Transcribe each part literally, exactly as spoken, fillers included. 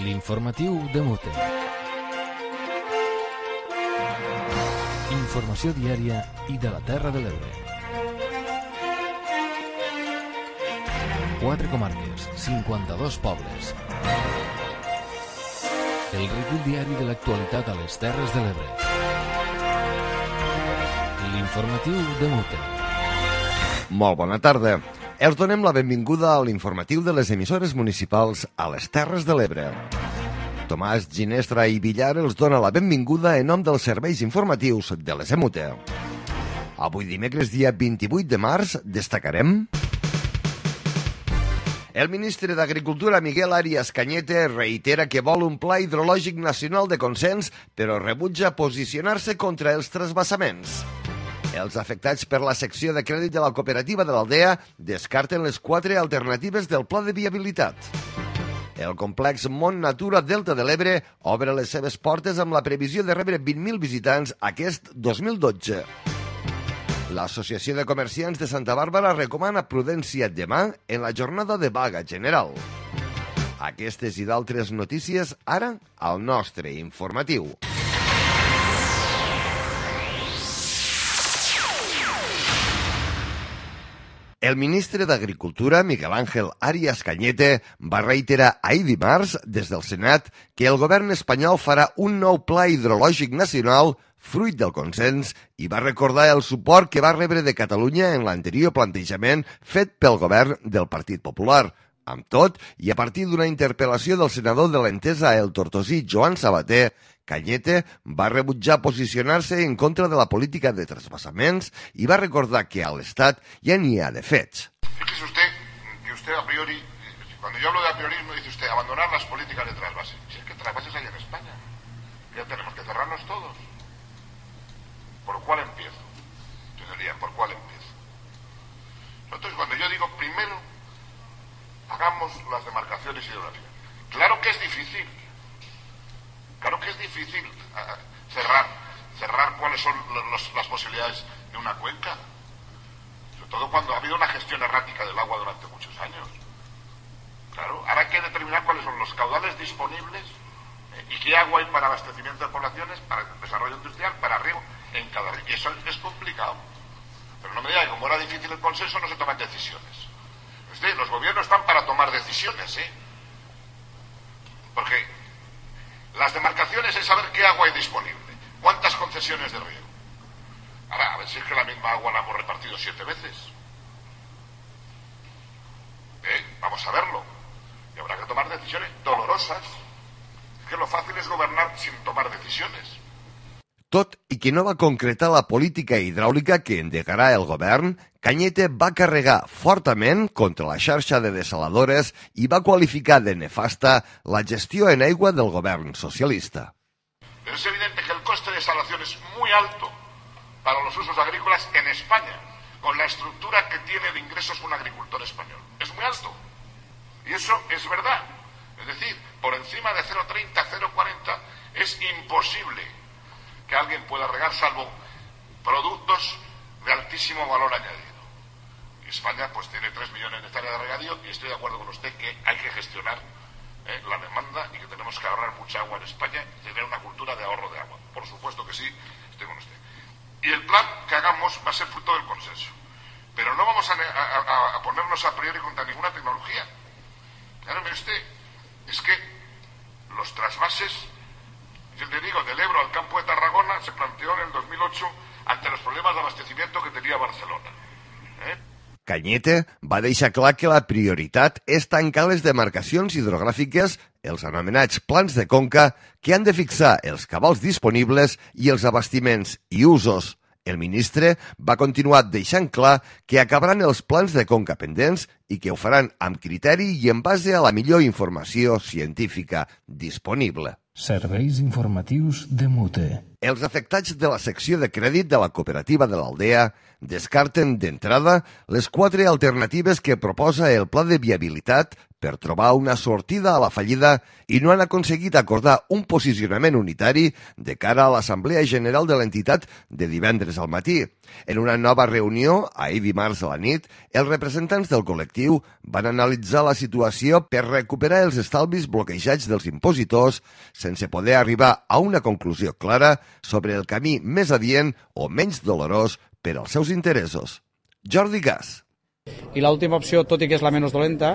L'informatiu de Mute. Informació diària i de la Terra de l'Ebre. Quatre comarques, cinquanta-dos pobles. El recull diari de l'actualitat a les Terres de l'Ebre. L'informatiu de Mute. Molt bona tarda. Els donem la benvinguda a l'informatiu de les emissores municipals a les Terres de l'Ebre. Tomàs Ginestra i Villar els dona la benvinguda en nom dels serveis informatius de les E M U T E. Avui dimecres, dia vint-i-vuit de març, destacarem... El ministre d'Agricultura, Miguel Arias Cañete, reitera que vol un pla hidrològic nacional de consens, però rebutja posicionar-se contra els trasbassaments. Els afectats per la secció de crèdit de la cooperativa de l'Aldea descarten les quatre alternatives del pla de viabilitat. El complex Mont Natura Delta de l'Ebre obre les seves portes amb la previsió de rebre vint mil visitants aquest dos mil dotze. L'Associació de Comerciants de Santa Bàrbara recomana prudència demà en la jornada de vaga general. Aquestes i d'altres notícies ara al nostre informatiu. El ministre d'Agricultura, Miguel Ángel Arias Cañete, va reiterar ahir dimarts des del Senat que el govern espanyol farà un nou pla hidrològic nacional fruit del consens i va recordar el suport que va rebre de Catalunya en l'anterior plantejament fet pel govern del Partit Popular. Amb tot, i a partir d'una interpel·lació del senador de l'Entesa, el tortosí Joan Sabater, Cañete va rebutjar posicionar-se en contra de la política de trasvasaments y va a recordar que al Estado ya ni ha de fets. Fíjese usted que usted a priori, cuando yo hablo de a priorismo, dice usted abandonar las políticas de trasvase. Si es que trasvases hay en España, ya tenemos que cerrarnos todos. ¿Por cuál empiezo? Yo diría, ¿por cuál empiezo? Entonces, cuando yo digo primero, hagamos las demarcaciones hidrográficas. Claro que es difícil. Claro que es difícil uh, cerrar, cerrar cuáles son los, las posibilidades de una cuenca. Sobre todo cuando ha habido una gestión errática del agua durante muchos años. Claro, ahora hay que determinar cuáles son los caudales disponibles eh, y qué agua hay para abastecimiento de poblaciones, para desarrollo industrial, para riego, en cada río. Y eso es complicado. Pero no me diga que como era difícil el consenso no se toman decisiones. Es decir, los gobiernos están para tomar decisiones, ¿eh? Porque las demarcaciones es saber qué agua hay disponible, cuántas concesiones de riego. Ahora, a ver si es que la misma agua la hemos repartido siete veces. ¿Eh? Vamos a verlo. Y habrá que tomar decisiones dolorosas. Es que lo fácil es gobernar sin tomar decisiones. Tot i que no va concretar la política hidràulica que endegarà el govern, Cañete va carregar fortament contra la xarxa de desaladores i va qualificar de nefasta la gestió en aigua del govern socialista. Pero es evidente que el coste de desalación es muy alto para los usos agrícolas en España, con la estructura que tiene de ingresos un agricultor español. Es muy alto. Y eso es verdad. Es decir, por encima de cero coma treinta, cero coma cuarenta es imposible que alguien pueda regar salvo productos de altísimo valor añadido. Y España pues tiene tres millones de hectáreas de regadío y estoy de acuerdo con usted que hay que gestionar eh, la demanda y que tenemos que ahorrar mucha agua en España y tener una cultura de ahorro de agua. Por supuesto que sí, estoy con usted. Y el plan que hagamos va a ser fruto del consenso. Pero no vamos a, a, a ponernos a priori contra ninguna tecnología. Claro, mire usted, es que los trasvases, yo le digo, del Ebro al campo de Tarragona se planteó en el dos mil ocho ante los problemas de abastecimiento que tenía Barcelona. ¿Eh? Cañete va deixar clar que la prioritat és tancar les demarcacions hidrogràfiques, els anomenats plans de conca, que han de fixar els cabals disponibles i els abastiments i usos. El ministre va continuar deixant clar que acabaran els plans de conca pendents i que ho faran amb criteri i en base a la millor informació científica disponible. Serveis informatius de Mute. Els afectats de la secció de crèdit de la cooperativa de l'Aldea descarten d'entrada les quatre alternatives que proposa el pla de viabilitat per trobar una sortida a la fallida i no han aconseguit acordar un posicionament unitari de cara a l'Assemblea General de l'entitat de divendres al matí. En una nova reunió, ahir dimarts a la nit, els representants del col·lectiu van analitzar la situació per recuperar els estalvis bloquejats dels impositors sense poder arribar a una conclusió clara sobre el camí més adient o menys dolorós per als seus interessos. Jordi Gas. I l'última opció, tot i que és la menys dolenta,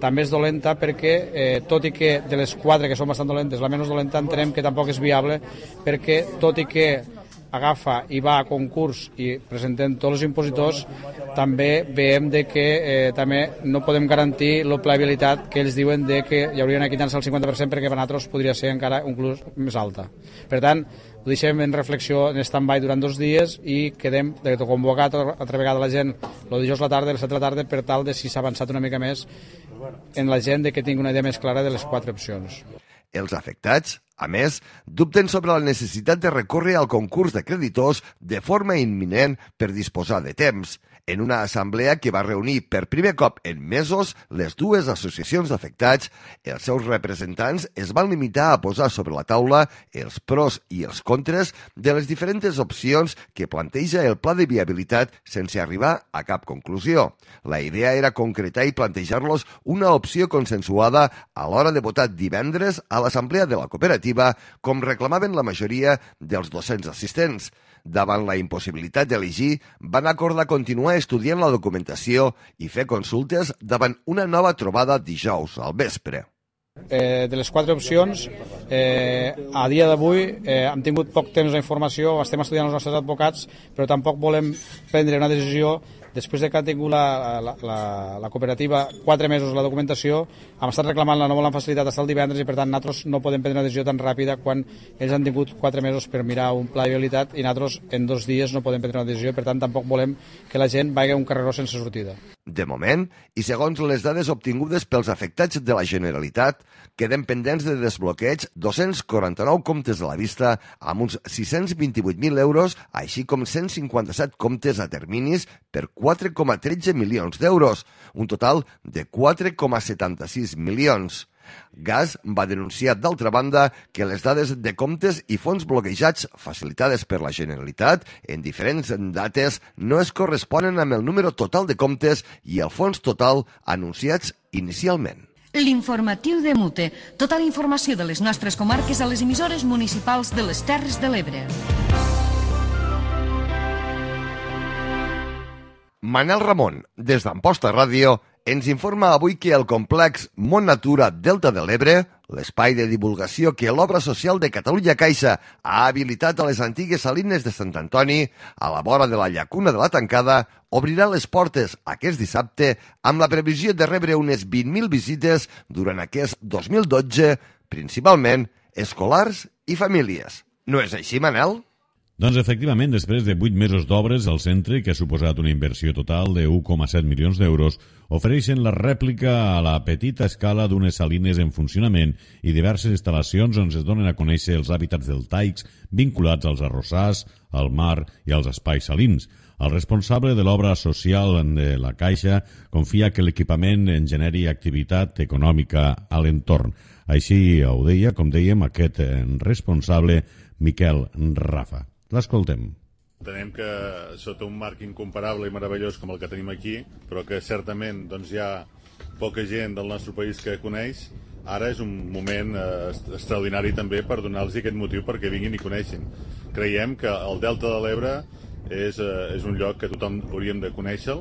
també és dolenta perquè, eh, tot i que de les quatre que són bastant dolentes, la menys dolenta entenem que tampoc és viable perquè, tot i que agafa i va a concurs i presentem tots els impositors, també veiem de que eh, també no podem garantir la viabilitat que ells diuen de que hi haurien de quitar-se el cinquanta per cent perquè per nosaltres podria ser encara inclús més alta. Per tant, ho deixem en reflexió en stand-by durant dos dies i quedem de convocar altra vegada la gent el dijous a la tarda, a les set de la tarda, per tal de si s'ha avançat una mica més en la gent de que tingui una idea més clara de les quatre opcions. Els afectats, a més, dubten sobre la necessitat de recórrer al concurs de creditors de forma imminent per disposar de temps. En una assemblea que va reunir per primer cop en mesos les dues associacions d'afectats, els seus representants es van limitar a posar sobre la taula els pros i els contres de les diferents opcions que planteja el pla de viabilitat sense arribar a cap conclusió. La idea era concretar i plantejar-los una opció consensuada a l'hora de votar divendres a l'assemblea de la cooperativa, com reclamaven la majoria dels docents assistents. Davant la impossibilitat d'elegir, van acordar continuar estudiant la documentació i fer consultes davant una nova trobada dijous al vespre. Eh, de les quatre opcions, eh, a dia d'avui eh, hem tingut poc temps d'informació, estem estudiant els nostres advocats, però tampoc volem prendre una decisió després de que ha tingut la, la, la, la cooperativa quatre mesos la documentació. Hem estat reclamant la no volen facilitat fins el divendres i per tant nosaltres no podem prendre una decisió tan ràpida quan ells han tingut quatre mesos per mirar un pla de viabilitat i nosaltres en dos dies no podem prendre una decisió i per tant tampoc volem que la gent vagi a un carreró sense sortida. De moment, i segons les dades obtingudes pels afectats de la Generalitat, queden pendents de desbloqueig dos-cents quaranta-nou comptes a la vista amb uns sis-cents vint-i-vuit mil euros, així com cent cinquanta-set comptes a terminis per quatre coma tretze milions d'euros, un total de quatre coma setanta-sis milions. Gas va denunciar, d'altra banda, que les dades de comptes i fons bloquejats facilitades per la Generalitat en diferents dates no es corresponen amb el número total de comptes i el fons total anunciats inicialment. L'informatiu de Mute. Tota la informació de les nostres comarques a les emissores municipals de les Terres de l'Ebre. Manel Ramon, des d'Amposta Ràdio, ens informa avui que el complex Mont Natura Delta de l'Ebre, l'espai de divulgació que l'Obra Social de Catalunya Caixa ha habilitat a les antigues salines de Sant Antoni, a la vora de la llacuna de la Tancada, obrirà les portes aquest dissabte amb la previsió de rebre unes vint mil visites durant aquest dos mil dotze, principalment escolars i famílies. No és així, Manel? Doncs efectivament, després de vuit mesos d'obres, el centre, que ha suposat una inversió total de un coma set milions d'euros, ofereixen la rèplica a la petita escala d'unes salines en funcionament i diverses instal·lacions on es donen a conèixer els hàbitats deltaics vinculats als arrossars, al mar i als espais salins. El responsable de l'obra social de la Caixa confia que l'equipament en generi activitat econòmica a l'entorn. Així ho deia, com dèiem, aquest responsable, Miquel Rafa. L'escoltem. Entenem que sota un marc incomparable i meravellós com el que tenim aquí, però que certament doncs, hi ha poca gent del nostre país que coneix, ara és un moment eh, extraordinari també per donar-los aquest motiu perquè vinguin i coneixin. Creiem que el Delta de l'Ebre és, eh, és un lloc que tothom hauríem de conèixer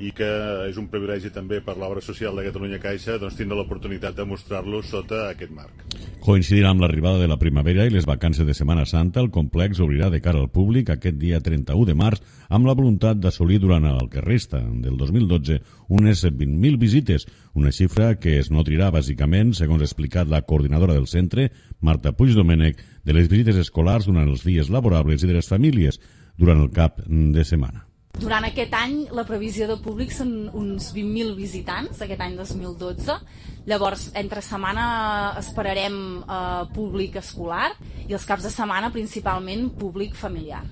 i que és un privilegi també per l'Obra Social de Catalunya Caixa doncs, tindre l'oportunitat de mostrar-lo sota aquest marc. Coincidint amb l'arribada de la primavera i les vacances de Setmana Santa, el complex obrirà de cara al públic aquest dia trenta-u de març amb la voluntat d'assolir durant el que resta del dos mil dotze unes vint mil visites, una xifra que es nodrirà bàsicament, segons ha explicat la coordinadora del centre, Marta Puigdomènech, de les visites escolars durant els dies laborables i de les famílies durant el cap de setmana. Durant aquest any la previsió de públic són uns vint mil visitants, aquest any dos mil dotze. Llavors, entre setmana esperarem eh, públic escolar i els caps de setmana principalment públic familiar.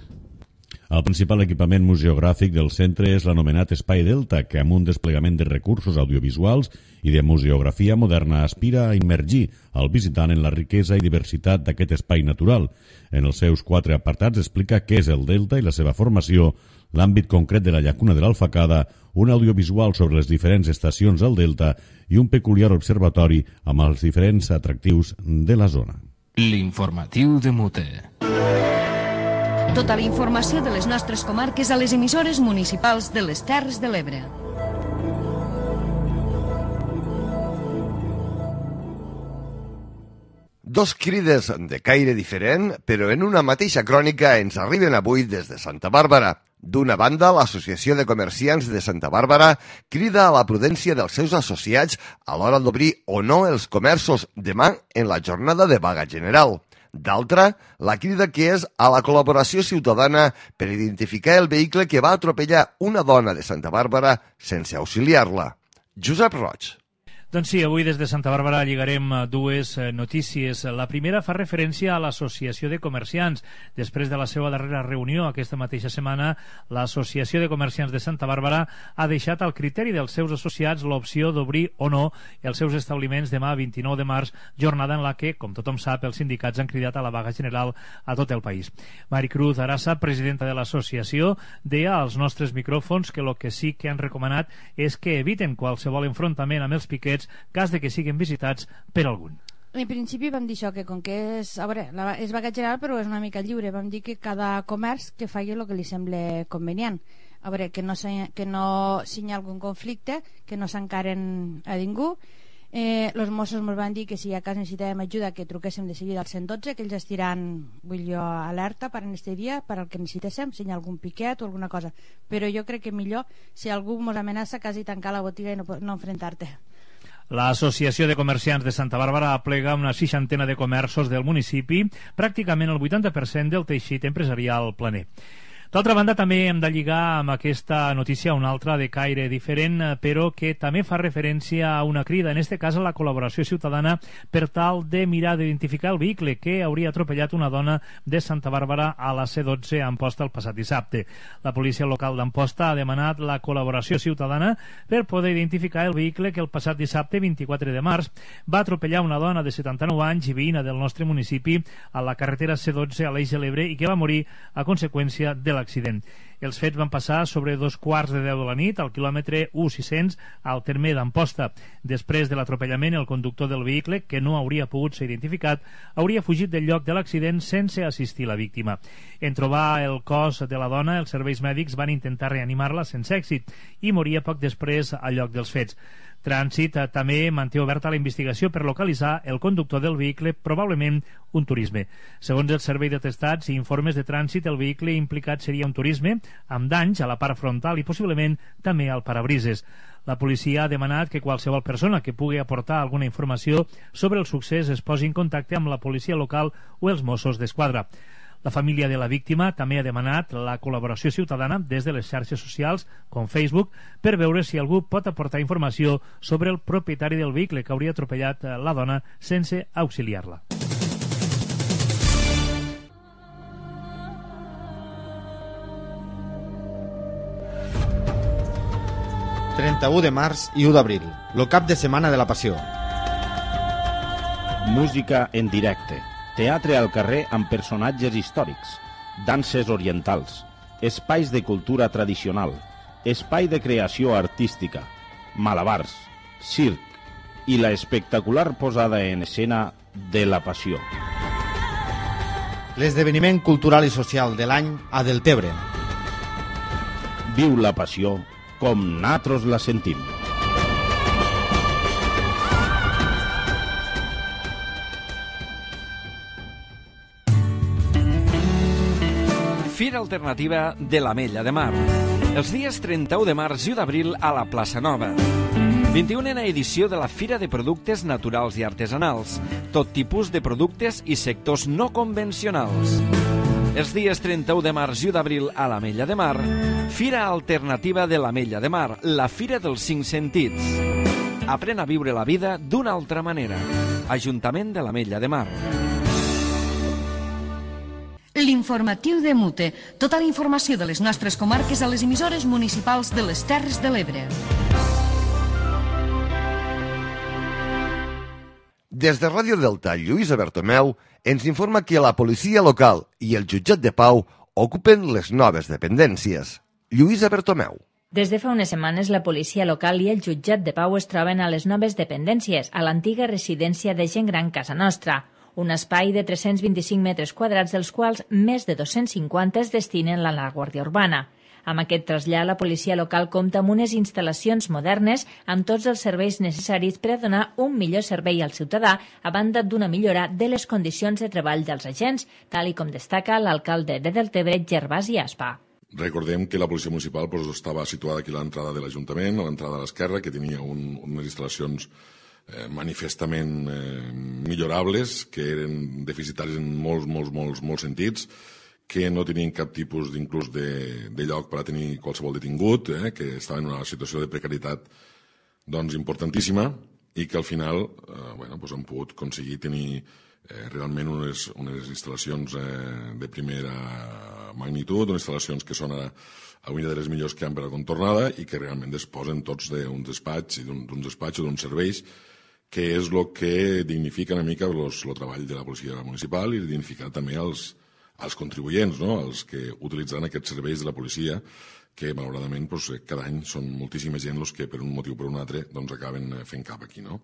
El principal equipament museogràfic del centre és l'anomenat Espai Delta, que amb un desplegament de recursos audiovisuals i de museografia moderna aspira a immergir el visitant en la riquesa i diversitat d'aquest espai natural. En els seus quatre apartats explica què és el Delta i la seva formació, l'àmbit concret de la llacuna de l'Alfacada, un audiovisual sobre les diferents estacions del Delta i un peculiar observatori amb els diferents atractius de la zona. L'informatiu de Mute. Tota la informació de les nostres comarques a les emissores municipals de les Terres de l'Ebre. Dos crides de caire diferent, però en una mateixa crònica ens arriben avui des de Santa Bàrbara. D'una banda, l'Associació de Comerciants de Santa Bàrbara crida a la prudència dels seus associats a l'hora d'obrir o no els comerços demà en la jornada de vaga general. D'altra, la crida que és a la col·laboració ciutadana per identificar el vehicle que va atropellar una dona de Santa Bàrbara sense auxiliar-la. Josep Roig. Doncs sí, avui des de Santa Bàrbara lligarem dues notícies. La primera fa referència a l'Associació de Comerciants. Després de la seva darrera reunió aquesta mateixa setmana, l'Associació de Comerciants de Santa Bàrbara ha deixat al criteri dels seus associats l'opció d'obrir o no els seus establiments demà vint-i-nou de març, jornada en la que, com tothom sap, els sindicats han cridat a la vaga general a tot el país. Maricruz Arasa, presidenta de l'associació, deia als nostres micròfons que el que sí que han recomanat és que eviten qualsevol enfrontament amb els piquets cas de que siguin visitats per algun. En principi vam dir això, que com que és, a veure, la, és vaga general però és una mica lliure, vam dir que cada comerç que faci el que li sembla convenient. A veure, que no, que no si hi ha algun conflicte, que no s'encaren a ningú. Eh, els Mossos ens van dir que si a cas necessitàvem ajuda que truquéssim de seguida al cent dotze, que ells estiran, vull jo, alerta per en este dia, per al que necessitéssim, si hi ha algun piquet o alguna cosa. Però jo crec que millor si algú ens amenaça quasi tancar la botiga i no, no enfrontar-te. L'Associació de Comerciants de Santa Bàrbara aplega una seixantena de comerços del municipi, pràcticament el vuitanta per cent del teixit empresarial planer. D'altra banda, també hem de lligar amb aquesta notícia una altra de caire diferent, però que també fa referència a una crida, en aquest cas a la col·laboració ciutadana, per tal de mirar d'identificar el vehicle que hauria atropellat una dona de Santa Bàrbara a la C dotze a Amposta el passat dissabte. La policia local d'Amposta ha demanat la col·laboració ciutadana per poder identificar el vehicle que el passat dissabte, vint-i-quatre de març, va atropellar una dona de setanta-nou anys i veïna del nostre municipi a la carretera C dotze a l'Eix de l'Ebre i que va morir a conseqüència de la l'accident. Els fets van passar sobre dos quarts de deu de la nit al quilòmetre u sis cents al terme d'Amposta. Després de l'atropellament, el conductor del vehicle, que no hauria pogut ser identificat, hauria fugit del lloc de l'accident sense assistir la víctima. En trobar el cos de la dona, els serveis mèdics van intentar reanimar-la sense èxit i moria poc després al lloc dels fets. Trànsit també manté oberta la investigació per localitzar el conductor del vehicle, probablement un turisme. Segons el servei d'atestats i informes de trànsit, el vehicle implicat seria un turisme amb danys a la part frontal i possiblement també al parabrises. La policia ha demanat que qualsevol persona que pugui aportar alguna informació sobre el succés es posi en contacte amb la policia local o els Mossos d'Esquadra. La família de la víctima també ha demanat la col·laboració ciutadana des de les xarxes socials, com Facebook, per veure si algú pot aportar informació sobre el propietari del vehicle que hauria atropellat la dona sense auxiliar-la. trenta-u de març i u d'abril, el cap de setmana de la Passió. Música en directe, teatre al carrer amb personatges històrics, danses orientals, espais de cultura tradicional, espai de creació artística, malabars, circ i la espectacular posada en escena de la Passió. L'esdeveniment cultural i social de l'any a Deltebre. Viu la Passió com nosaltres la sentim. Fira alternativa de l'Ametlla de Mar. Els dies trenta-u de març i u d'abril a la Plaça Nova. vint-i-unena edició de la Fira de Productes Naturals i Artesanals. Tot tipus de productes i sectors no convencionals. Els dies trenta-u de març i u d'abril a l'Ametlla de Mar, Fira Alternativa de l'Ametlla de Mar, la Fira dels Cinc Sentits. Aprèn a viure la vida d'una altra manera. Ajuntament de l'Ametlla de Mar. L'informatiu de Mute. Tota la informació de les nostres comarques a les emissores municipals de les Terres de l'Ebre. Des de Ràdio Delta, Lluïsa Bertomeu ens informa que la policia local i el jutjat de pau ocupen les noves dependències. Lluïsa Bertomeu. Des de fa unes setmanes, la policia local i el jutjat de pau es troben a les noves dependències, a l'antiga residència de gent gran Casa Nostra, un espai de tres-cents vint-i-cinc metres quadrats, dels quals més de dos-cents cinquanta es destinen a la Guàrdia Urbana. Amb aquest trasllat, la policia local compta amb unes instal·lacions modernes amb tots els serveis necessaris per a donar un millor servei al ciutadà, a banda d'una millora de les condicions de treball dels agents, tal i com destaca l'alcalde de Deltebre, Gervasi Aspa. Recordem que la policia municipal pues, estava situada aquí a l'entrada de l'Ajuntament, a l'entrada a l'esquerra, que tenia un, unes instal·lacions eh, manifestament eh, millorables, que eren deficitaris en molts, molts, molts, molts sentits, que no tenien cap tipus d'inclús de, de lloc per a tenir qualsevol detingut, eh, que estaven en una situació de precarietat doncs, importantíssima i que al final eh, bueno, doncs han pogut aconseguir tenir eh, realment unes, unes instal·lacions eh, de primera magnitud, unes instal·lacions que són a, a una de les millors que hi ha per a contornada i que realment disposen tots d'un despatx i d'uns despatxos, d'uns serveis, que és el que dignifica una mica el treball de la policia municipal i dignifica també els als contribuents, no? Els que utilitzen aquests serveis de la policia, que malauradament doncs, cada any són moltíssima gent els que per un motiu o per un altre doncs, acaben fent cap aquí. No?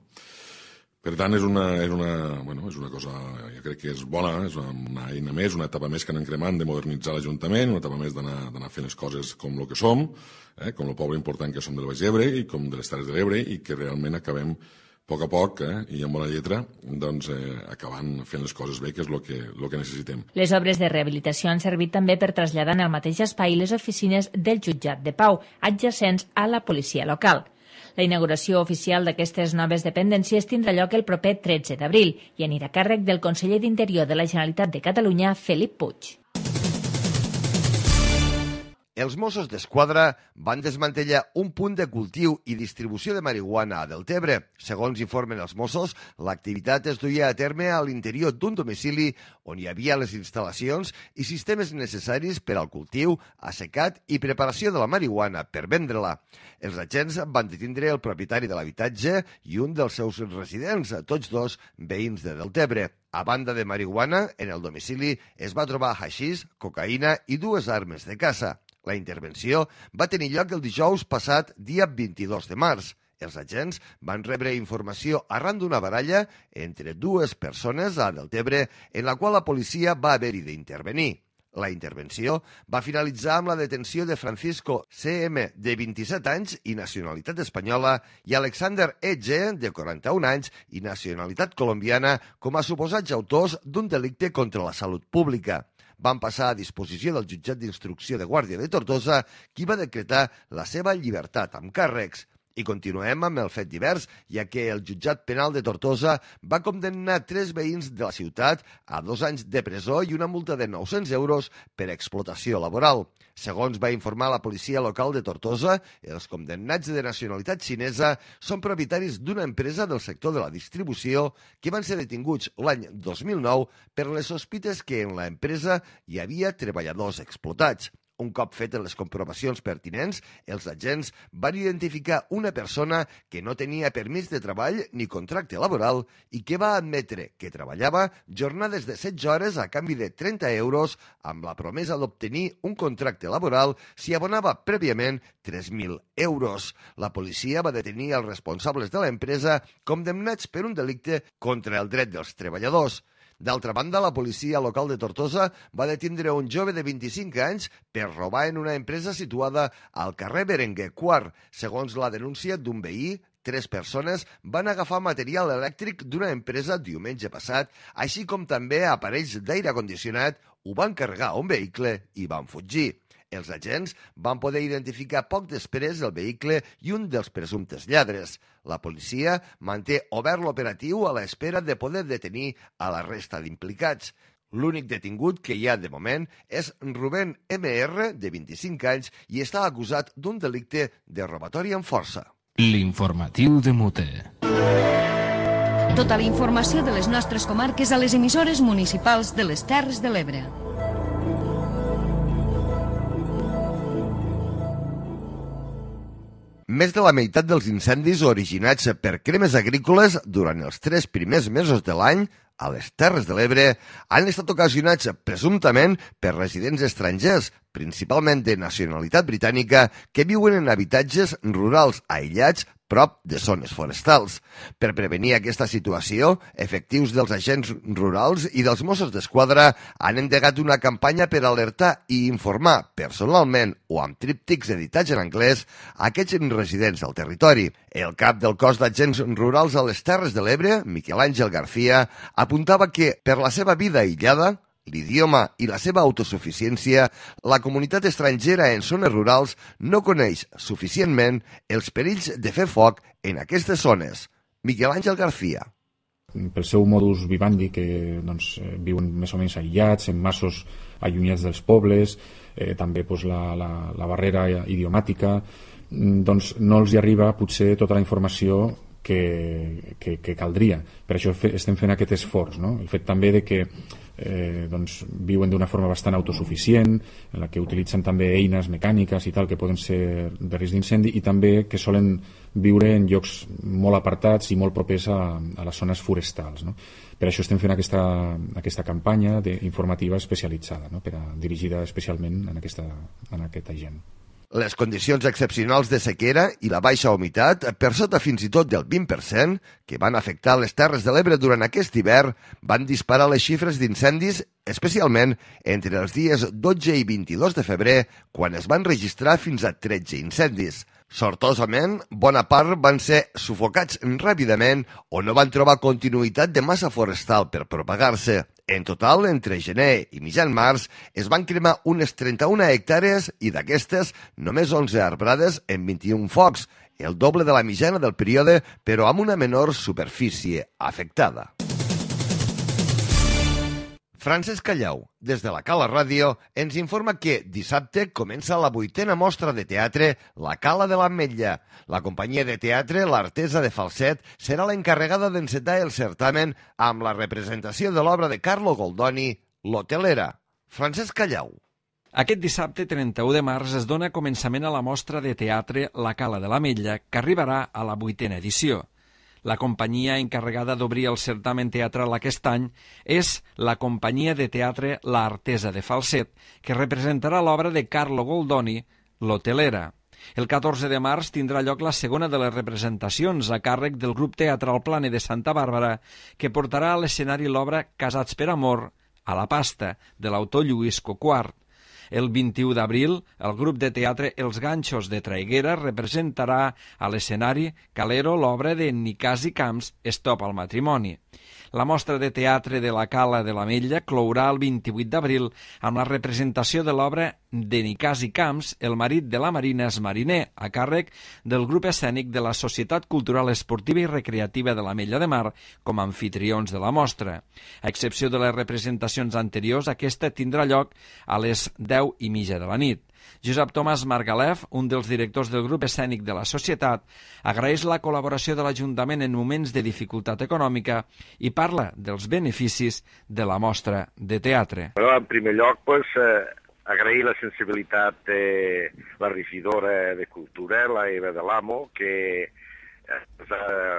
Per tant, és una, és, una, bueno, és una cosa, jo crec que és bona, és una, una eina més, una etapa més que anem cremant de modernitzar l'Ajuntament, una etapa més d'anar fent les coses com el que som, eh? com el poble important que som del Baix Ebre i com de les Terres de l'Ebre i que realment acabem a poc a poc, eh, i amb bona lletra, doncs, eh, acabant fent les coses bé, que és el que, lo que necessitem. Les obres de rehabilitació han servit també per traslladar en el mateix espai les oficines del jutjat de pau, adjacents a la policia local. La inauguració oficial d'aquestes noves dependències tindrà lloc el proper tretze d'abril i anirà a càrrec del conseller d'Interior de la Generalitat de Catalunya, Felip Puig. Els Mossos d'Esquadra van desmantellar un punt de cultiu i distribució de marihuana a Deltebre. Segons informen els Mossos, l'activitat es duia a terme a l'interior d'un domicili on hi havia les instal·lacions i sistemes necessaris per al cultiu, assecat i preparació de la marihuana per vendre-la. Els agents van detindre el propietari de l'habitatge i un dels seus residents, tots dos veïns de Deltebre. A banda de marihuana, en el domicili es va trobar haixís, cocaïna i dues armes de caça. La intervenció va tenir lloc el dijous passat, dia vint-i-dos de març. Els agents van rebre informació arran d'una baralla entre dues persones a Deltebre, en la qual la policia va haver-hi d'intervenir. La intervenció va finalitzar amb la detenció de Francisco C M, de vint-i-set anys i nacionalitat espanyola, i Alexander E G, de quaranta-un anys i nacionalitat colombiana, com a suposats autors d'un delicte contra la salut pública. Van passar a disposició del jutjat d'instrucció de Guàrdia de Tortosa, qui va decretar la seva llibertat amb càrrecs. I continuem amb el fet divers, ja que el jutjat penal de Tortosa va condemnar tres veïns de la ciutat a dos anys de presó i una multa de nou-cents euros per explotació laboral. Segons va informar la policia local de Tortosa, els condemnats de nacionalitat xinesa són propietaris d'una empresa del sector de la distribució que van ser detinguts l'any dos mil nou per les sospites que en l'empresa hi havia treballadors explotats. Un cop fetes les comprovacions pertinents, els agents van identificar una persona que no tenia permís de treball ni contracte laboral i que va admetre que treballava jornades de setze hores a canvi de trenta euros amb la promesa d'obtenir un contracte laboral si abonava prèviament tres mil euros. La policia va detenir els responsables de l'empresa condemnats per un delicte contra el dret dels treballadors. D'altra banda, la policia local de Tortosa va detindre un jove de vint-i-cinc anys per robar en una empresa situada al carrer Berenguer quart. Segons la denúncia d'un veí, tres persones van agafar material elèctric d'una empresa diumenge passat, així com també aparells d'aire condicionat, ho van carregar a un vehicle i van fugir. Els agents van poder identificar poc després el vehicle i un dels presumptes lladres. La policia manté obert l'operatiu a l'espera de poder detenir a la resta d'implicats. L'únic detingut que hi ha de moment és Rubén eme erre, de vint-i-cinc anys, i està acusat d'un delicte de robatori amb força. L'informatiu de Mute. Tota la informació de les nostres comarques a les emissores municipals de les Terres de l'Ebre. Més de la meitat dels incendis originats per cremes agrícoles durant els tres primers mesos de l'any a les Terres de l'Ebre han estat ocasionats presumptament per residents estrangers, principalment de nacionalitat britànica, que viuen en habitatges rurals aïllats prop de zones forestals. Per prevenir aquesta situació, efectius dels agents rurals i dels Mossos d'Esquadra han endegat una campanya per alertar i informar personalment o amb tríptics editats en anglès a aquests residents del territori. El cap del cos d'agents rurals a les Terres de l'Ebre, Miquel Àngel García, apuntava que, per la seva vida aïllada, l'idioma i la seva autosuficiència, la comunitat estrangera en zones rurals no coneix suficientment els perills de fer foc en aquestes zones. Miquel Àngel García. Pel seu modus vivendi, que doncs, viuen més o menys aïllats, en masos allunyats dels pobles, eh, també doncs, la, la, la barrera idiomàtica, doncs no els hi arriba potser tota la informació que, que, que caldria. Per això fe, estem fent aquest esforç, no? El fet també de que eh, doncs, viuen d'una forma bastant autosuficient, en la que utilitzen també eines mecàniques i tal que poden ser de risc d'incendi, i també que solen viure en llocs molt apartats i molt propers a, a les zones forestals, no? Per això estem fent aquesta, aquesta campanya informativa especialitzada, no? Per a, dirigida especialment en aquesta, en aquesta gent. Les condicions excepcionals de sequera i la baixa humitat, per sota fins i tot del vint per cent, que van afectar les Terres de l'Ebre durant aquest hivern, van disparar les xifres d'incendis, especialment entre els dies dotze i vint-i-dos de febrer, quan es van registrar fins a tretze incendis. Sortosament, bona part van ser sufocats ràpidament o no van trobar continuïtat de massa forestal per propagar-se. En total, entre gener i mitjan març, es van cremar unes trenta-una hectàrees i d'aquestes només onze arbrades en vint-i-un focs, el doble de la mitjana del període, però amb una menor superfície afectada. Francesc Callau, des de la Cala Ràdio, ens informa que dissabte comença la vuitena mostra de teatre La Cala de l'Ametlla. La companyia de teatre L'Artesa de Falset serà l'encarregada d'encetar el certamen amb la representació de l'obra de Carlo Goldoni, L'Hotelera. Francesc Callau. Aquest dissabte trenta-u de març es dona començament a la mostra de teatre La Cala de l'Ametlla, que arribarà a la vuitena edició. La companyia encarregada d'obrir el certamen teatral aquest any és la companyia de teatre L'Artesa de Falset, que representarà l'obra de Carlo Goldoni, L'Hotelera. El catorze de març tindrà lloc la segona de les representacions a càrrec del grup teatral Plane de Santa Bàrbara, que portarà a l'escenari l'obra Casats per amor, a la pasta, de l'autor Lluís Coquart. El vint-i-u d'abril, el grup de teatre Els Ganxos de Traiguera representarà a l'escenari Calero l'obra de Nicàs i Camps, Estop al matrimoni. La mostra de teatre de la Cala de l'Ametlla clourà el vint-i-vuit d'abril amb la representació de l'obra de Nicàs i Camps, El marit de la Marina és mariner, a càrrec del grup escènic de la Societat Cultural Esportiva i Recreativa de l'Ametlla de Mar com a anfitrions de la mostra. A excepció de les representacions anteriors, aquesta tindrà lloc a les deu i mitja de la nit. Josep Tomàs Margalef, un dels directors del grup escènic de la Societat, agraeix la col·laboració de l'Ajuntament en moments de dificultat econòmica i parla dels beneficis de la mostra de teatre. Bueno, en primer lloc, pues, eh, agrair la sensibilitat de la regidora de Cultura, la Eva de l'Amo, que eh,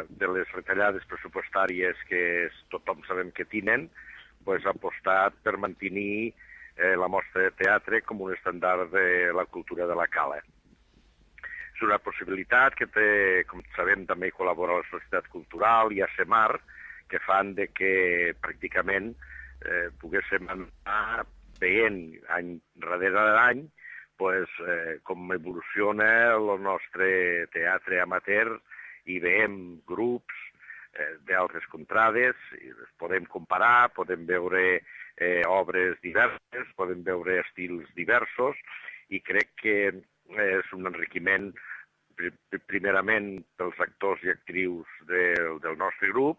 de les retallades pressupostàries que tothom sabem que tenen, pues, ha apostat per mantenir Eh, la mostra de teatre com un estàndard de la cultura de la Cala. És una possibilitat que té, com sabem, també col·labora la Societat Cultural i a SEMAR, que fan de que pràcticament eh, poguéssim anar veient any darrere d'any pues, eh, com evoluciona el nostre teatre amateur i veiem grups eh, d'altres contrades, i les podem comparar, podem veure Eh, obres diverses, podem veure estils diversos i crec que eh, és un enriquiment pr primerament pels actors i actrius del, del nostre grup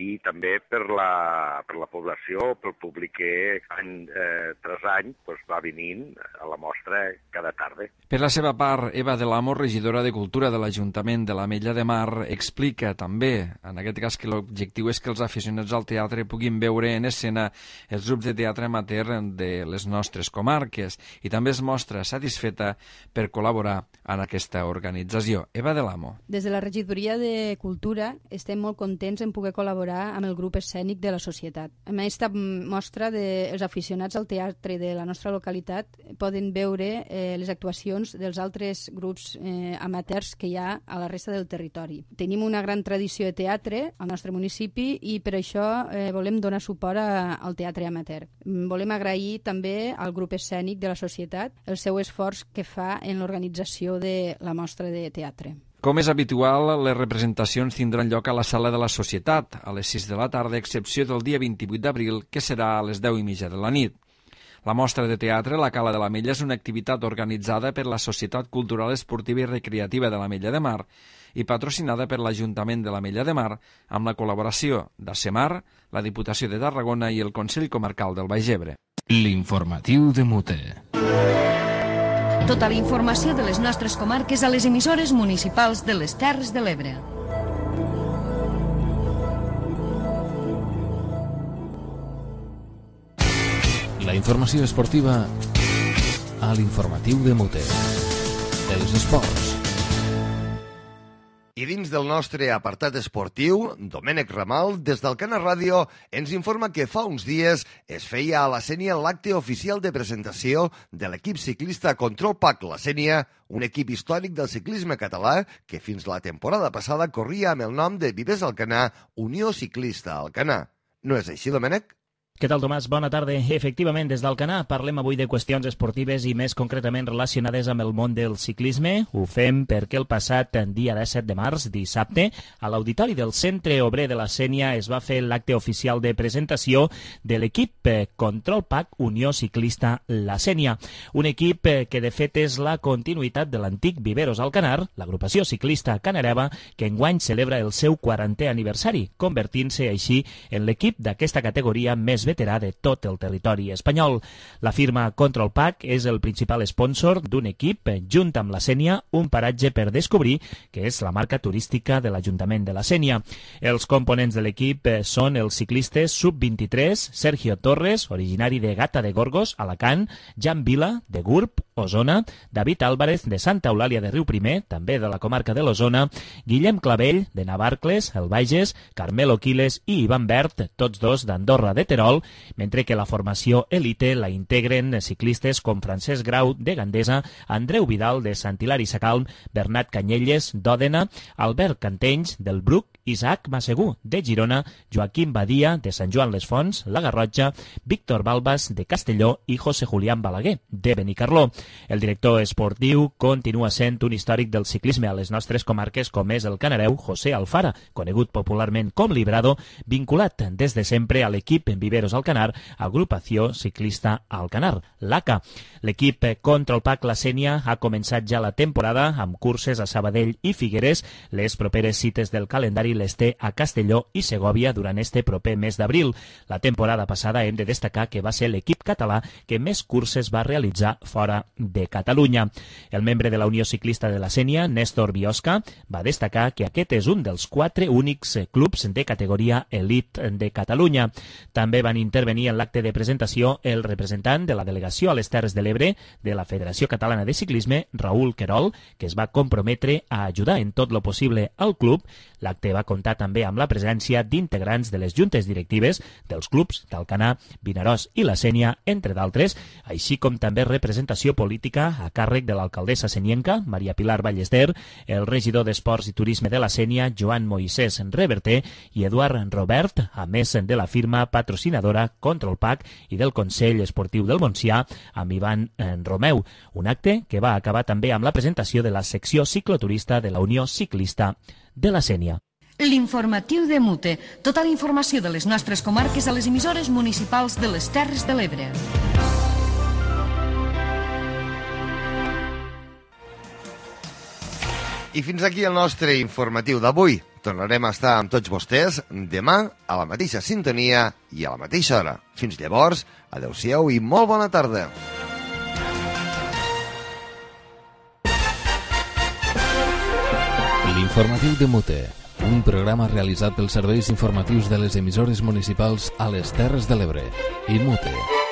i també per la, per la població, pel públic que any eh, tras any pues, va venint a la mostra cada tarda. Per la seva part, Eva de l'Amo, regidora de Cultura de l'Ajuntament de l'Ametlla de Mar, explica també, en aquest cas, que l'objectiu és que els aficionats al teatre puguin veure en escena els grups de teatre amateur de les nostres comarques i també es mostra satisfeta per col·laborar en aquesta organització. Eva de l'Amo. Des de la regidoria de Cultura estem molt contents en poder col·laborar amb el grup escènic de la societat. Amb aquesta mostra dels de, aficionats al teatre de la nostra localitat poden veure eh, les actuacions dels altres grups eh, amateurs que hi ha a la resta del territori. Tenim una gran tradició de teatre al nostre municipi i per això eh, volem donar suport a, al teatre amateur. Volem agrair també al grup escènic de la societat el seu esforç que fa en l'organització de la mostra de teatre. Com és habitual, les representacions tindran lloc a la Sala de la Societat, a les sis de la tarda, a excepció del dia vint-i-vuit d'abril, que serà a les deu i mitja de la nit. La mostra de teatre La Cala de l'Ametlla és una activitat organitzada per la Societat Cultural Esportiva i Recreativa de l'Ametlla de Mar i patrocinada per l'Ajuntament de l'Ametlla de Mar amb la col·laboració d'Asemar, la Diputació de Tarragona i el Consell Comarcal del Baix Ebre. L'informatiu de Mute. Tota la informació de les nostres comarques a les emissores municipals de les Terres de l'Ebre. La informació esportiva a l'informatiu de Mute. Els esports. I dins del nostre apartat esportiu, Domènec Ramal, des del Cana Ràdio, ens informa que fa uns dies es feia a la Sénia l'acte oficial de presentació de l'equip ciclista Control Pack La Sénia, un equip històric del ciclisme català que fins la temporada passada corria amb el nom de Vives Alcanar, Unió Ciclista Alcanar. No és així, Domènec? Què tal, Tomàs? Bona tarda. Efectivament, des d'Alcanar parlem avui de qüestions esportives i més concretament relacionades amb el món del ciclisme. Ho fem perquè el passat dia disset de març, dissabte, a l'auditori del Centre Obrer de la Sénia es va fer l'acte oficial de presentació de l'equip Control Pack Unió Ciclista La Sénia. Un equip que de fet és la continuïtat de l'antic Viveros Alcanar, l'agrupació ciclista canareva, que enguany celebra el seu quarantè aniversari, convertint-se així en l'equip d'aquesta categoria més veterà de tot el territori espanyol. La firma Control Pack és el principal sponsor d'un equip, junt amb la Sénia, un paratge per descobrir, que és la marca turística de l'Ajuntament de la Sénia. Els components de l'equip són els ciclistes sub vint-i-tres, Sergio Torres, originari de Gata de Gorgos, Alacant, Jan Vila, de Gurb, Osona, David Álvarez, de Santa Eulàlia de Riuprimer, també de la comarca de l'Osona, Guillem Clavell, de Navarcles, el Bages, Carmelo Quiles i Ivan Bert, tots dos d'Andorra de Terol, mentre que la formació elite la integren ciclistes com Francesc Grau, de Gandesa, Andreu Vidal, de Sant Hilari Sacalm, Bernat Canyelles, d'Òdena, Albert Cantenys, del Bruc, Isaac Massegú, de Girona, Joaquim Badia, de Sant Joan les Fonts, la Garrotxa, Víctor Balbas, de Castelló i José Julián Balaguer, de Benicarló. El director esportiu continua sent un històric del ciclisme a les nostres comarques com és el canareu José Alfara, conegut popularment com Librado, vinculat des de sempre a l'equip en Viveros Alcanar, agrupació ciclista Alcanar, l'A C A. L'equip Control Pack La Sénia ha començat ja la temporada amb curses a Sabadell i Figueres. Les properes cites del calendari les té a Castelló i Segòvia durant este proper mes d'abril. La temporada passada hem de destacar que va ser l'equip català que més curses va realitzar fora de Catalunya. El membre de la Unió Ciclista de la Sénia, Néstor Biosca, va destacar que aquest és un dels quatre únics clubs de categoria elite de Catalunya. També van intervenir en l'acte de presentació el representant de la delegació a les Terres de l'Ebre de la Federació Catalana de Ciclisme, Raül Querol, que es va comprometre a ajudar en tot lo possible al club. L'acte va comptar també amb la presència d'integrants de les juntes directives dels clubs d'Alcanar, Vinaròs i la Sénia, entre d'altres, així com també representació política a càrrec de l'alcaldessa senienca, Maria Pilar Ballester, el regidor d'Esports i Turisme de la Sénia, Joan Moisés Reverter, i Eduard Robert, a més de la firma patrocinadora Control Pack i del Consell Esportiu del Montsià, amb Ivan Romeu. Un acte que va acabar també amb la presentació de la secció cicloturista de la Unió Ciclista de la Sénia. L'informatiu de Mute. Tota la informació de les nostres comarques a les emissores municipals de les Terres de l'Ebre. I fins aquí el nostre informatiu d'avui. Tornarem a estar amb tots vostès demà a la mateixa sintonia i a la mateixa hora. Fins llavors, adeu-siau i molt bona tarda. L'informatiu de Mute, un programa realitzat pels serveis informatius de les emissores municipals a les Terres de l'Ebre. I Mute.